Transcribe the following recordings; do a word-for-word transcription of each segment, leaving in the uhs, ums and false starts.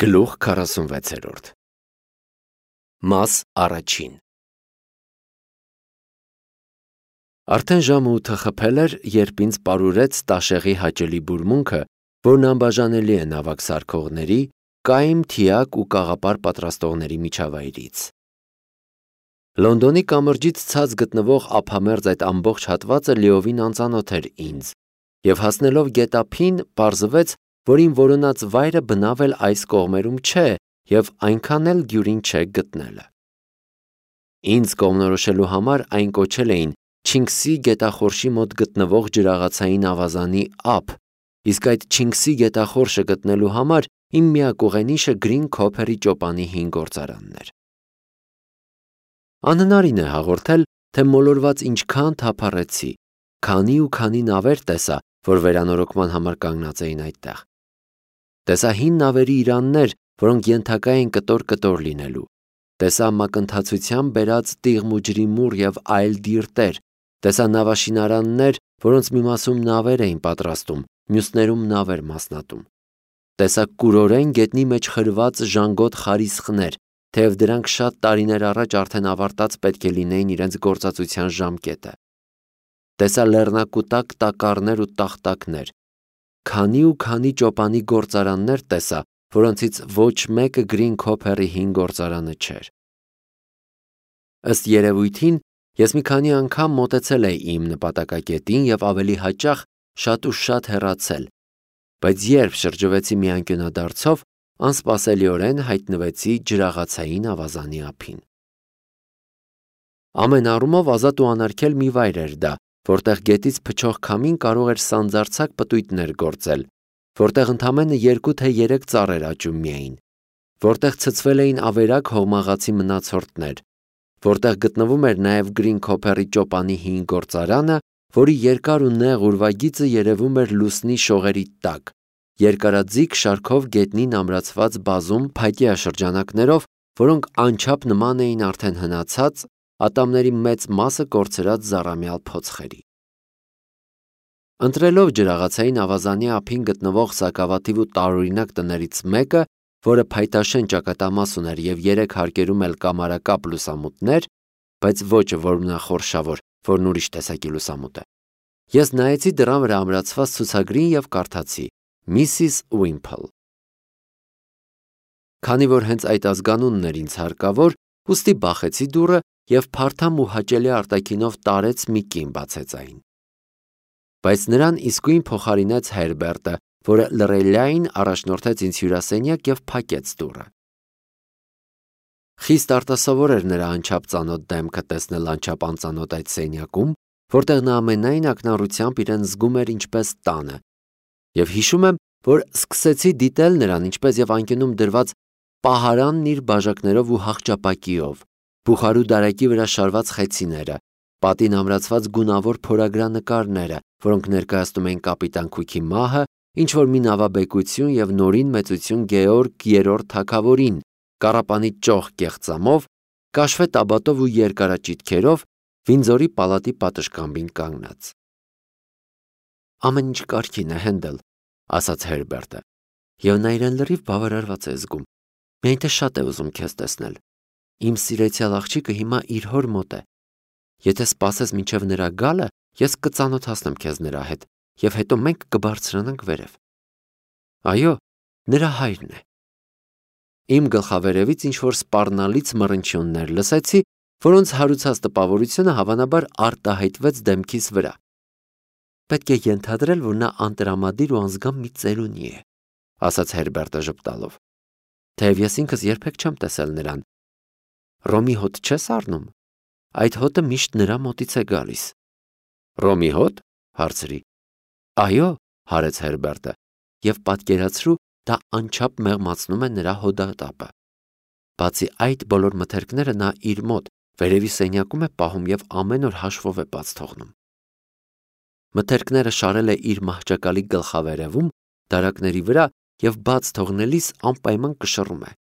Գլուխ քառասունվեցերորդ Մաս առաջին Արդեն ժամը ութը խփել էր, երբ ինձ պարուրեց Տաշեղի հաճելի բուրմունքը, որն անբաժանելի է նավակ սարքողների, կայմ, թիակ ու կաղապար պատրաստողների միջավայրից։ Լոնդոնի կամրջից ցած գտնվող ափամերձ այդ ամբողջ հատվածը լիովին անծանոթ էր ինձ, և հասնելով գետափին, պարզվեց, որ իմ որոնած վայրը բնավ էլ այս կողմերում չէ և այնքան էլ դյուրին չէ գտնելը։ Ինձ կողմնորոշելու համար այն կոչել էին Չինքսի գետախորշի մոտ գտնվող ջրաղացային ավազանի ափ, իսկ այդ Չինքսի գետախորշը գտնելու համար իմ միակ ուղենիշը Գրին Քոփերի ճոպանի հին գործարանն էր։ Անհնարին է հաղորդել, թե մոլորված ինչքան թափառեցի, քանի ու քանի նավեր տեսա, որ վերանորոգման համար կանգնած էին այդտեղ։ Տեսա հին նավերի իրաններ, որոնք ենթակա էին կտոր-կտոր լինելու, տեսա մակընթացությամբ բերած տիղմուջրի մուռ և այլ դիրտեր, տեսա նավաշինարաններ, որոնց մի մասում նավեր էին պատրաստում, մյուսներում նավեր մասնատում, տեսա կուրորեն գետնի մեջ խրված ժանգոտ խարիսխներ, թեև դրանք շատ տարիներ առաջ արդեն ավարտած պետք է լինեին իրենց գործածության ժամկետը, տեսա լեռնակուտակ տակառներ ու տախտակներ, քանի ու քանի ճոպանի գործարաններ տեսա, որոնցից ոչ մեկը Գրին Քոփերի հին գործարանը չէր։ Ըստ երևույթին, ես մի քանի անգամ մոտեցել էի իմ նպատակակետին և ավելի հաճախ շատ ու շատ հեռացել, բայց երբ շրջվեցի մի անկյունադարձով, անսպասելիորեն հայտնվեցի ջրաղացային ավազանի ափին։ Ամեն առումով ազատ ու անարգել մի վայր էր դա, որտեղ գետից փչող քամին կարող էր սանձարձակ պտույտներ գործել, որտեղ ընդամենը երկու թե երեք ծառ էր աճում միայն, որտեղ ցցվել էին ավերակ հողմաղացի մնացորդներ, որտեղ գտնվում էր նաև Գրին Քոփերի ճոպանի հին գործարանը, որի երկար ու նեղ ուրվագիծը երևում էր լուսնի շողերի տակ, երկարաձիգ շարքով գետնին ամրացված բազում փայտյա շրջանակներով, որոնք անչափ նման էին արդեն հնացած, ատամների մեծ մասը կորցրած զառամյալ փոցխերի։ Ընտրելով ջրաղացային ավազանի ափին գտնվող սակավաթիվ ու տարօրինակ տներից մեկը, որը փայտաշեն ճակատամաս ուներ և երեք հարկերում էլ կամարակապ լուսամուտներ, բայց ոչ որմնախորշավոր, որն ուրիշ տեսակի լուսամուտ է, ես նայեցի դռան վրա ամրացված ցուցագրին և կարդացի Միսիս Ուիմփլ։ Քանի որ հենց այդ ազգանունն էր ինձ հարկավոր, ուստի բախեցի դուռը և փարթամ ու հաճելի արտաքինով տարեց մի կին բացեց այն։ Բայց նրան իսկույն փոխարինեց Հերբերտը, որը լռելիային առաջնորդեց ինձ հյուրասենյակ և փակեց դուռը։ Խիստ արտասովոր էր նրա անչափ ծանոթ դեմքը տեսնել անչափ անծանոթ այդ սենյակում, որտեղ նա ամենայն ակնառությամբ իրեն զգում էր ինչպես տանը, և հիշում եմ, որ սկսեցի դիտել նրան ինչպես և անկյունում դրված պահարանն իր բաժակներով ու հախճապակիով, բուխարու դարակի վրա շարված խեցիները, պատին ամրացված գունավոր փորագրանկարները, որոնք ներկայացնում էին կապիտան Քուքի մահը, ինչ-որ մի նավաբեկություն և նորին մեծություն Գեորգ երրորդ թագավորին, կառապանի ճոխ կեղծամով, կաշվե տաբատով ու երկարաճիթքերով, Վինձորի պալատի պատշգամբին կանգնած։ Ամեն ինչ կարգին է, Հենդել, ասաց Հերբերտը, և նա իրեն լրիվ բավարարված է զգում, միայն թե շատ է ուզում քեզ տեսնել։ Իմ սիրեցյալ աղջիկը հիմա իր հոր մոտ է։ Եթե սպասես մինչև նրա գալը, ես կծանոթացնեմ քեզ նրա հետ, և հետո մենք կբարձրանանք վերև։ Այո, նրա հայրն է։ Իմ գլխավերևից ինչ-որ սպառնալից մռնչյուններ լսեցի, որոնց հարուցած տպավորությունը հավանաբար արտահայտվեց դեմքիս վրա։ Պետք է ենթադրել, որ նա անտրամադիր ու անզգամ մի ծերունի է, ասաց Հերբերտը ժպտալով, թեև ես ինքս երբեք չեմ տեսել նրան։ Ռոմի հոտ չես առնում։ Այդ հոտը միշտ նրա մոտից է գալիս։ Ռոմի հոտ, հարցրի։ Այո, հարեց Հերբերտը, և պատկերացրու, դա անչափ մեղմացնում է նրա հոդատապը։ Բացի այդ բոլոր մթերքները նա իր մոտ վերևի սենյակում է պահում և ամեն օր հաշվով է բաց թողնում։ Մթերքները շարել է իր մահճակալի գլխավերևում, դարակների վրա և բաց թողնելիս անպայման կշռում է։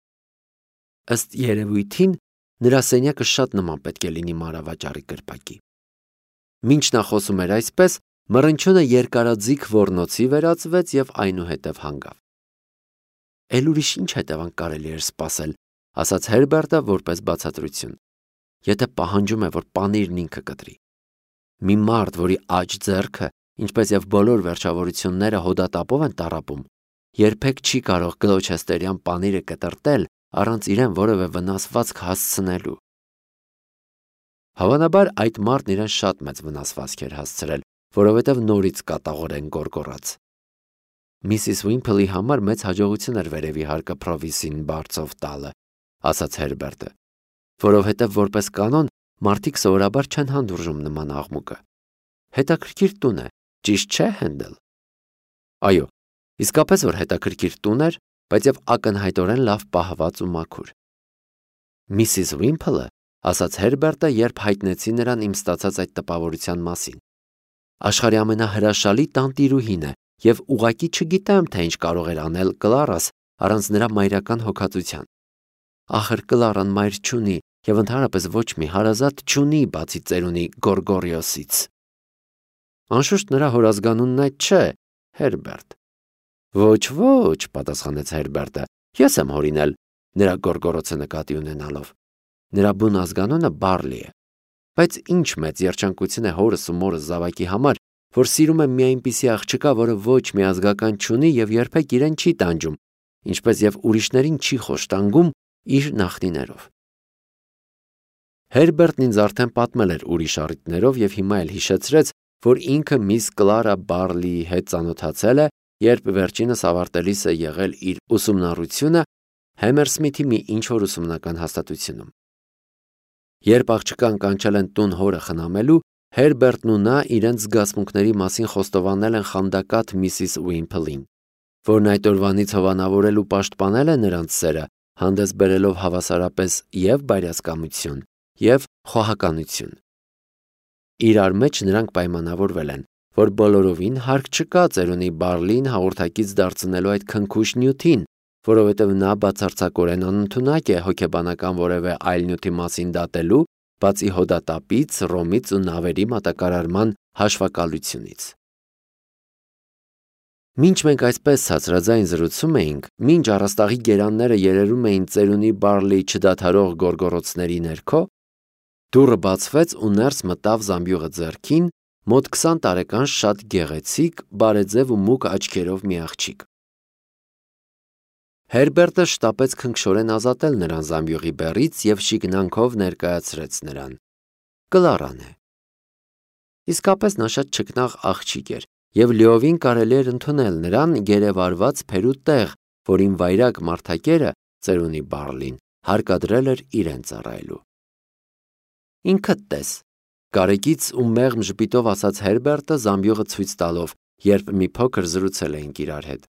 Ըստ երևույթին, նրա սենյակը շատ նման պետք է լինի մանրավաճառի կրպակի։ Մինչ նա խոսում էր այսպես, մռնչյունը երկարաձիգ ոռնոցի վերածվեց և այնուհետև հանգավ։ Էլ ուրիշ ինչ հետևանք կարելի էր սպասել, ասաց Հերբերտը որպես բացատրություն։ Եթե պահանջում է, որ պանիրն ինքը կտրի։ Մի մարդ, որի աջ ձեռքը, ինչպես եւ բոլոր վերջավորությունները հոդատապով են տառապում, երբեք չի կարող գլոչեստերյան պանիրը կտրտել առանց իրեն որևէ վնասվածք հասցնելու։ Հավանաբար այդ մարդն իրեն շատ մեծ վնասվածք էր հասցրել, որովհետև նորից կատաղորեն գոռգոռաց։ Միսիս Ուիմփլի համար մեծ հաջողություն էր վերևի հարկը Փրովիսին բարձով տալը, ասաց Հերբերտը, որովհետև որպես կանոն մարդիկ սովորաբար չեն հանդուրժում նման աղմուկը։ Հետաքրքիր տուն է, ճիշտ չէ, Հենդել։ Այո, իսկապես որ հետաքրքիր տուն էր, բայց եւ ակնհայտորեն լավ պահված ու մաքուր։ Միսիս Ուիմփլը, ասաց Հերբերտը, երբ հայտնեցի նրան իմ ստացած այդ տպավորության մասին։ Աշխարհի ամենահրաշալի տանտիրուհին է եւ ուղղակի չգիտեմ, թե ինչ կարող էր անել Կլարաս առանց նրա մայրական հոգածության։ Ախր Կլարան մայր չունի եւ ընդհանրապես ոչ մի հարազատ չունի բացի ծերունի Գորգորիոսից։ Անշուշտ նրա հորազգանունն այդ չէ, Հերբերտ։ Ոչ, ոչ, պատասխանեց Հերբերտը, ես եմ հորինել, նրա գորգորոցը նկատի ունենալով։ Նրա բուն ազգանունը Բարլի է։ Բայց ինչ մեծ երջանկություն է հորս ու մորս զավակի համար, որ սիրում է մի այնպիսի աղջկա, որը ոչ մի ազգական չունի եւ երբեք իրեն չի տանջում, ինչպես եւ ուրիշներին չի խոշտանգում իր նախնիներով։ Հերբերտն ինձ արդեն պատմել էր ուրիշ առիթներով եւ հիմա էլ հիշեցրեց, որ ինքը միս Կլարա Բարլիի հետ ծանոթացել է, երբ վերջինս ավարտելիս է եղել իր ուսումնառությունը Հեմերսմիթի մի ինչ-որ ուսումնական հաստատությունում։ Երբ աղջկան կանչել են տուն հորը խնամելու, Հերբերտն ու նա իրենց զգացմունքների մասին խոստովանել են խանդակատ միսիս Ուիմփլին, որն այդ օրվանից հովանավորել ու պաշտպանել է նրանց սերը, հանդես բերելով հավասարապես եւ բայրասկամություն, եւ խոհականություն։ Իրար մեջ նրանք պայմանավորվել են, որ բոլորովին հարկ չկա ծերունի Բարլին հաղորդակից դարձնելու այդ քնքուշ նյութին, որովհետև նա բացարձակորեն անընդունակ է հոգեբանական որևէ այլ նյութի մասին դատելու, բացի հոդատապից, ռոմից ու նավերի մատակարարման հաշվակալությունից։ Մինչ մենք այսպես ցածրաձայն զրուցում էինք, մինչ առաստաղի գերանները երերում էին ծերունի Բարլիի չդադարող գոռգոռոցների ներքո, դուռը բացվեց ու ներս մտավ զամբյուղը ձեռքին, մոտ քսան տարեկան շատ գեղեցիկ, բարեձև ու մուգ աչքերով մի աղջիկ։ Հերբերտը շտապեց քնքշորեն ազատել նրան զամբյուղի բեռից եւ շիկնանքով ներկայացրեց նրան։ Կլարան է։ Իսկապես նա շատ չքնաղ աղջիկ էր եւ լիովին կարելի էր ընդունել նրան գերեվարված փերու տեղ, որին վայրակ մարդակերը ծերունի Բարլին հարկադրել էր իրեն ծառայելու։ Ինքդ տես, կարեկից ու մեղմ ժպիտով ասաց Հերբերտը զամբյուղը ցույց տալով, երբ մի փոքր զրուցել էինք իրար հետ։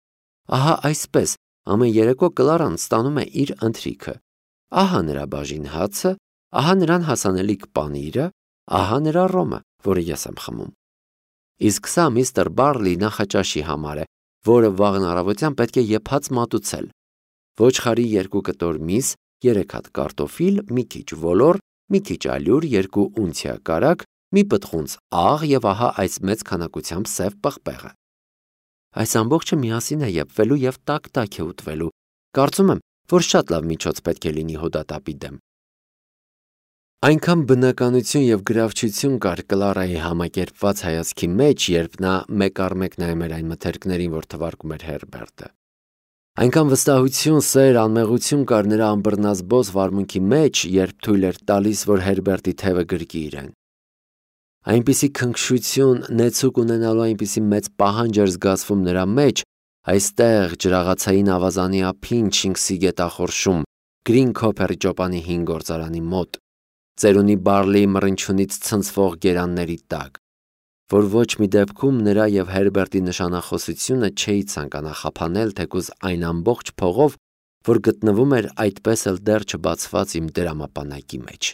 Ահա այսպես ամեն երեկո Կլարան ստանում է իր ընթրիքը։ Ահա նրա բաժին հացը, ահա նրան հասանելիք պանիրը, ահա նրա ռոմը, որը ես եմ խմում։ Իսկ սա միստր Բարլի նախաճաշի համար է, որը վաղն առավոտյան պետք է եփած մատուցել։ Ոչխարի երկու կտոր միս, երեք հատ կարտոֆիլ, մի քիչ ոլոր, մի քիչ ալյուր, երկու ունցիա կարագ, մի պտղունց աղ եւ ահա այս մեծ քանակությամբ սև պղպեղը։ Այս ամբողջը միասին է եփվելու եւ տակ-տակ է ուտվելու։ Կարծում եմ, որ շատ լավ միջոց պետք է լինի հոդատապի դեմ։ Այնքան բնականություն եւ գրավչություն կար Կլարայի համակերպված հայացքի մեջ, երբ նա մեկ առ մեկ նայում էր այն մթերքներին, որ թվարկում էր Հերբերտը։ Այնքան վստահություն, սեր, անմեղություն կար նրա ամբռնազբոս վարմունքի մեջ, երբ թույլ էր տալիս, որ Հերբերտի թևը գրկի իրեն։ Այնպիսի քնքշություն, նեցուկ ունենալու այնպիսի մեծ պահանջ էր զգացվում նրա մեջ, այստեղ ջրաղացային ավազանի ափին Չինքսի գետախորշում, Գրին Քոփերի ճոպանի հին գործարանի մոտ, ծերունի Բարլիի մռնչյունից ցնցվող գերանների տակ, որ ոչ մի դեպքում նրա եւ Հերբերտի նշանախոսությունը չէի ցանկանա խափանել թեկուզ այն ամբողջ փողով, որ գտնվում էր այդպես էլ դեռ չբացված իմ դրամապանակի մեջ։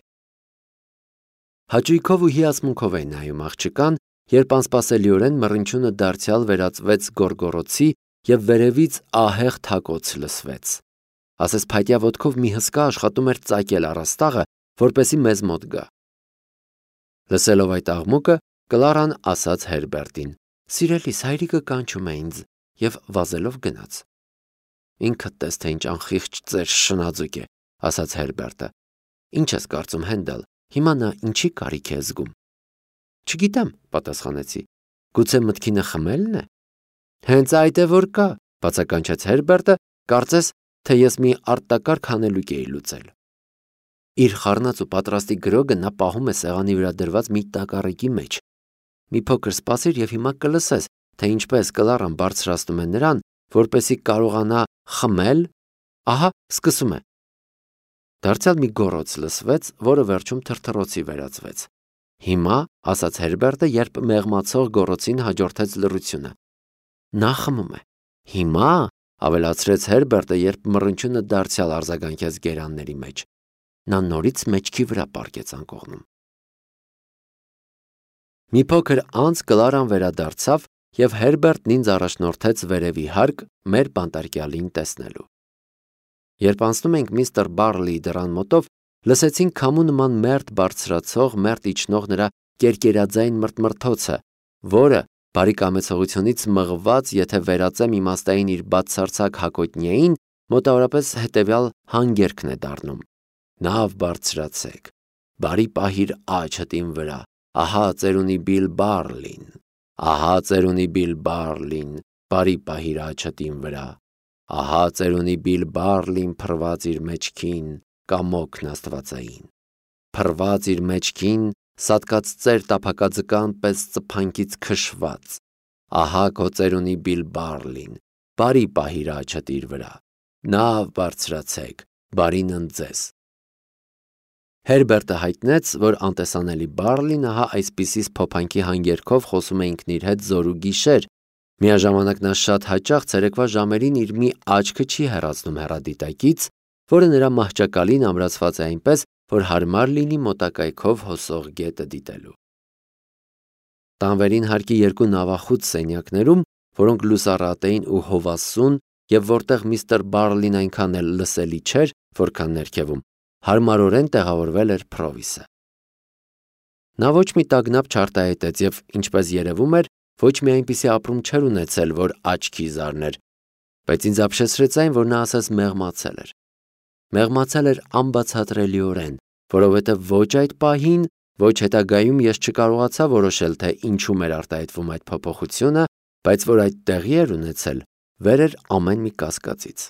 Հաճույքով ու հիացմունքով էի նայում աղջկան, երբ անսպասելիորեն մռնչյունը դարձյալ վերածվեց գոռգոռոցի եւ վերևից ահեղ թակոց լսվեց։ Ասես փայտյա ոտքով մի հսկա աշխատում էր ծակել առաստաղը, որպեսի մեզ մոտ գա։ Լսելով այդ աղմուկը, Կլարան ասաց Հերբերտին. «Սիրելիս, հայրիկը կանչում է ինձ» եւ վազելով գնաց։ Ինքդ տես թե ինչ անխիղճ ծեր շնաձուկ է, ասաց Հերբերտը։ Ինչ ես կարծում, Հենդալ, հիմա նա ինչի կարիք է զգում։ Չգիտեմ, պատասխանեցի։ Գուցե մտքինը խմելն է։ Հենց այդ է որ կա, բացականչեց Հերբերտը, կարծես, թե ես մի արտակարգ հանելուկ էի լուծել։ Իր խառնած ու պատրաստի գրոգը նա պահում է սեղանի վրա դրված մի տակառիկի մեջ։ Մի փոքր սպասիր եւ հիմա կլսես, թե ինչպես Կլարան բարձրացնում է նրան, որպեսզի կարողանա խմել։ Ահա, սկսում է։ Դարձյալ մի գոռոց լսվեց, որը վերջում թրթռոցի վերածվեց։ Հիմա, ասաց Հերբերտը, երբ մեղմացող գոռոցին հաջորդեց լռությունը։ Նա խմում է։ Հիմա, ավելացրեց Հերբերտը, երբ մռնչյունը դարձյալ արձագանքեց գերանների մեջ։ Նա նորից մեջքի վրա պառկեց անկողնում։ Մի փոքր անց Կլարան վերադարձավ եւ Հերբերտն ինձ առաջնորդեց վերևի հարկ մեր բանտարկյալին տեսնելու։ Երբ անցնում ենք միստր Բարլիի դռան մոտով, լսեցինք քամու նման մերթ բարձրացող, մերթ իջնող նրա կերկերաձայն մրթմրթոցը, որը բարի կամեցողությունից մղված, եթե վերածեմ իմաստային իր բացարձակ հակոտնյային, մոտավորապես հետևյալ հանգերքն է դառնում. Նավ բարձրացեք, բարի պահիր աչդ իմ վրա, ահա ծերունի Բիլ Բարլին, ահա ծերունի Բիլ Բարլին, բարի պահիր աչդ իմ վրա, ահա ծերունի Բիլ Բարլին փռված իր մեջքին, կամոքն աստվածային, փռված իր մեջքին, սատկած ծեր տափակաձկան պես ծփանքից քշված, ահա քո ծերունի Բիլ Բարլին, բարի պահիր աչդ իր վրա, նավ բարձրացեք, բարին ընձես։ Հերբերտը հայտնեց, որ անտեսանելի Բարլին ահա այսպիսի փոփանքի հանգերքով խոսում է ինքն իր հետ զոր ու գիշեր, միաժամանակ նա շատ հաճախ ցերեկվա ժամերին իր մի աչքը չի հեռացնում հեռադիտակից, որը նրա մահճակալին ամրացված է այնպես, որ հարմար լինի մոտակայքով հոսող գետը դիտելու։ Տանվերին հարկի երկու նավախուտ սենյակներում, որոնք լուսառատ էին ու հովասուն, եւ որտեղ միստր Բարլին այնքան էլ լսելի չէր, որքան ներքևում, հարմարորեն տեղավորվել էր Փրովիսը։ Նա ոչ մի տագնապ չարտահայտեց եւ, ինչպես երևում էր, ոչ մի այնպիսի ապրում չէր ունեցել, որ աչքի զարներ, բայց ինձ ապշեցրեց այն, որ նա ասես մեղմացել էր։ Մեղմացել էր անբացատրելիորեն, որովհետեւ ոչ այդ պահին, ոչ հետագայում ես չկարողացա որոշել, թե ինչու էր արտահայտվում այդ փոփոխությունը, բայց որ այդ տեղի էր ունեցել, վեր էր ամեն մի կասկածից։